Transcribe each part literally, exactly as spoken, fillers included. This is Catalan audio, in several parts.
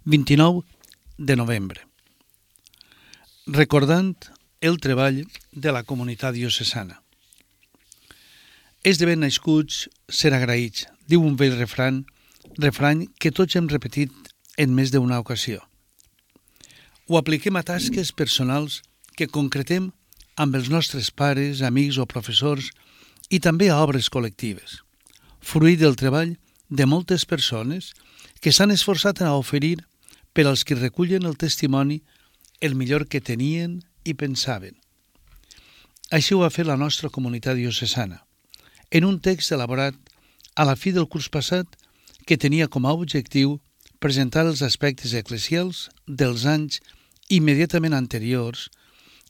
vint-i-nou de novembre. Recordant el treball de la comunitat diocesana. És de ben nascuts ser agraïts, diu un vell refrany, refrany que tots hem repetit en més d'una ocasió. Ho apliquem a tasques personals que concretem amb els nostres pares, amics o professors i també a obres col·lectives, fruit del treball de moltes persones que s'han esforçat a oferir per als que recullen el testimoni el millor que tenien i pensaven. Així ho va fer la nostra comunitat diocesana, en un text elaborat a la fi del curs passat que tenia com a objectiu presentar els aspectes eclesials dels anys immediatament anteriors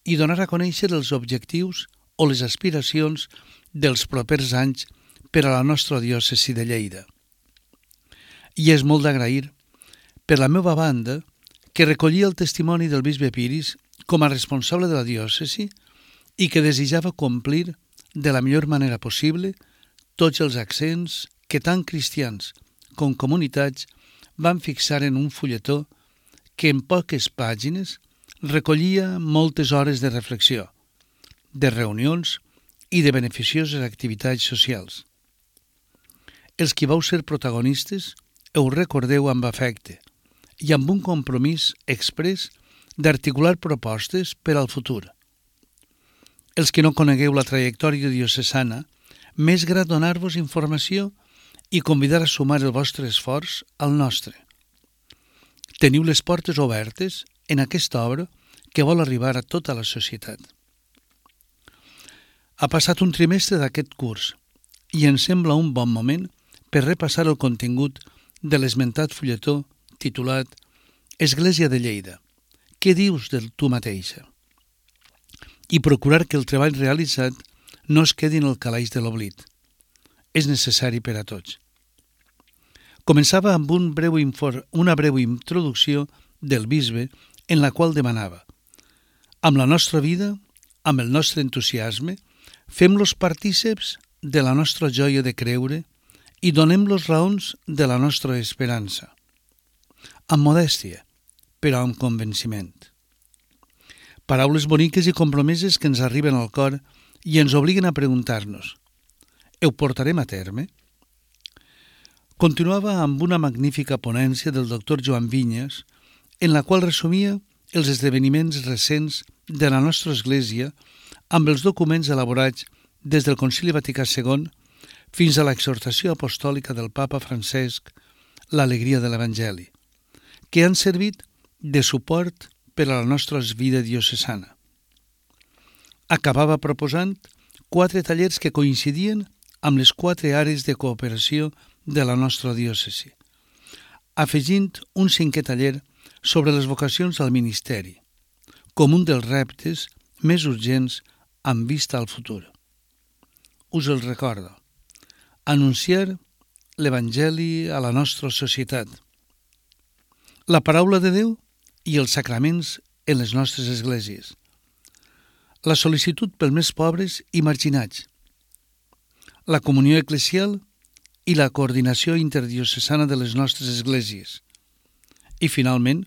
i donar a conèixer els objectius o les aspiracions dels propers anys per a la nostra diòcesi de Lleida. I és molt d'agrair, per la meva banda, que recollia el testimoni del bisbe Piris com a responsable de la diòcesi i que desitjava complir de la millor manera possible tots els accents que tant cristians com comunitats van fixar en un fulletó que en poques pàgines recollia moltes hores de reflexió, de reunions i de beneficioses activitats socials. Els qui vau ser protagonistes ho recordeu amb afecte i amb un compromís exprés d'articular propostes per al futur. Els que no conegueu la trajectòria diocesana, m'és grat donar-vos informació i convidar a sumar el vostre esforç al nostre. Teniu les portes obertes en aquesta obra que vol arribar a tota la societat. Ha passat un trimestre d'aquest curs i em sembla un bon moment per repassar el contingut de l'esmentat fulletó titulat Església de Lleida. Què dius de tu mateixa? I procurar que el treball realitzat no es quedi en el calaix de l'oblit. És necessari per a tots. Començava amb un breu infor- una breu introducció del bisbe en la qual demanava: amb la nostra vida, amb el nostre entusiasme, fem-los partíceps de la nostra joia de creure i donem-los raons de la nostra esperança. Amb modèstia, però amb convenciment. Paraules boniques i compromeses que ens arriben al cor i ens obliguen a preguntar-nos: ho portarem a terme? Continuava amb una magnífica ponència del doctor Joan Vinyes, en la qual resumia els esdeveniments recents de la nostra Església amb els documents elaborats des del Concili Vaticà segon fins a l'exhortació apostòlica del Papa Francesc, l'alegria de l'Evangeli, que han servit de suport per a la nostra vida diocesana. Acabava proposant quatre tallers que coincidien amb les quatre àrees de cooperació de la nostra diòcesi, afegint un cinquè taller sobre les vocacions al ministeri, com un dels reptes més urgents amb vista al futur. Us el recordo. Anunciar l'Evangeli a la nostra societat. La paraula de Déu i els sacraments en les nostres esglésies. La sol·licitud pels més pobres i marginats. La comunió eclesial i la coordinació interdiocesana de les nostres esglésies. I, finalment,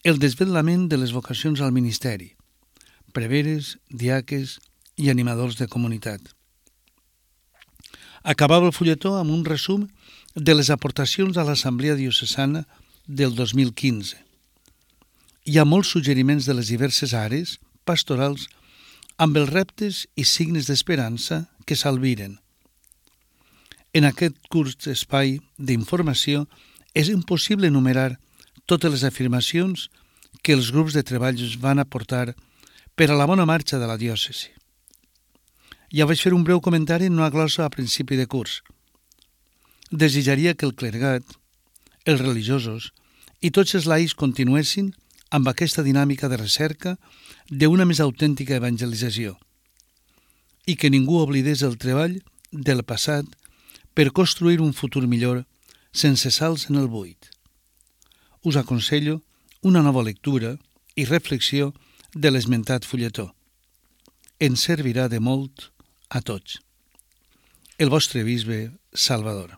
el desvetlament de les vocacions al ministeri, preveres, diaques i animadors de comunitat. Acabava el fulletó amb un resum de les aportacions a l'Assemblea Diocesana del dos mil quinze. Hi ha molts suggeriments de les diverses àrees pastorals amb els reptes i signes d'esperança que s'albiren. En aquest curt espai d'informació és impossible enumerar totes les afirmacions que els grups de treball van aportar per a la bona marxa de la diòcesi. Ja vaig fer un breu comentari en una glossa a principi de curs. Desitjaria que el clergat, els religiosos i tots els laics continuessin amb aquesta dinàmica de recerca d'una més autèntica evangelització i que ningú oblidés el treball del passat per construir un futur millor sense salts en el buit. Us aconsello una nova lectura i reflexió de l'esmentat fulletó. Ens servirà de molt a tots. El vostre bisbe Salvador.